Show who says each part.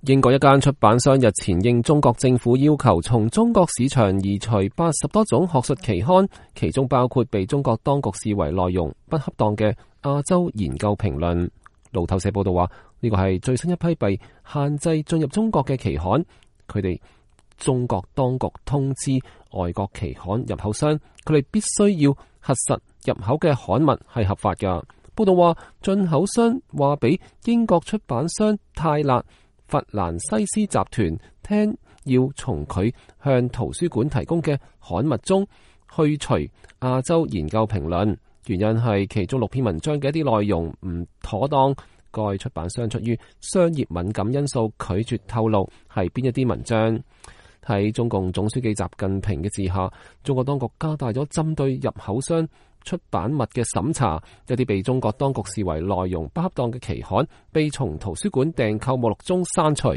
Speaker 1: 英國一間出版商日前應中國政府要求，從中國市場移除80多種學術期刊，其中包括被中國當局視為內容不恰當嘅亞洲研究評論。路透社報道話，呢個係最新一批被限制進入中國嘅期刊。佢哋中國當局通知外國期刊入口商，佢哋必須要核實入口嘅刊物係合法㗎。報道話，進口商話俾英國出版商泰勒弗蘭西斯集團聽，要從佢向圖書館提供嘅刊物中去除亞洲研究評論，原因係其中6篇文章嘅一啲內容唔妥當。該出版商出於商業敏感因素拒絕透露係邊一啲文章。喺中共總書記習近平嘅治下，中國當局加大咗針對入口商出版物嘅審查，一啲被中國當局視為內容不恰當嘅期刊被從圖書館訂購目錄中刪除。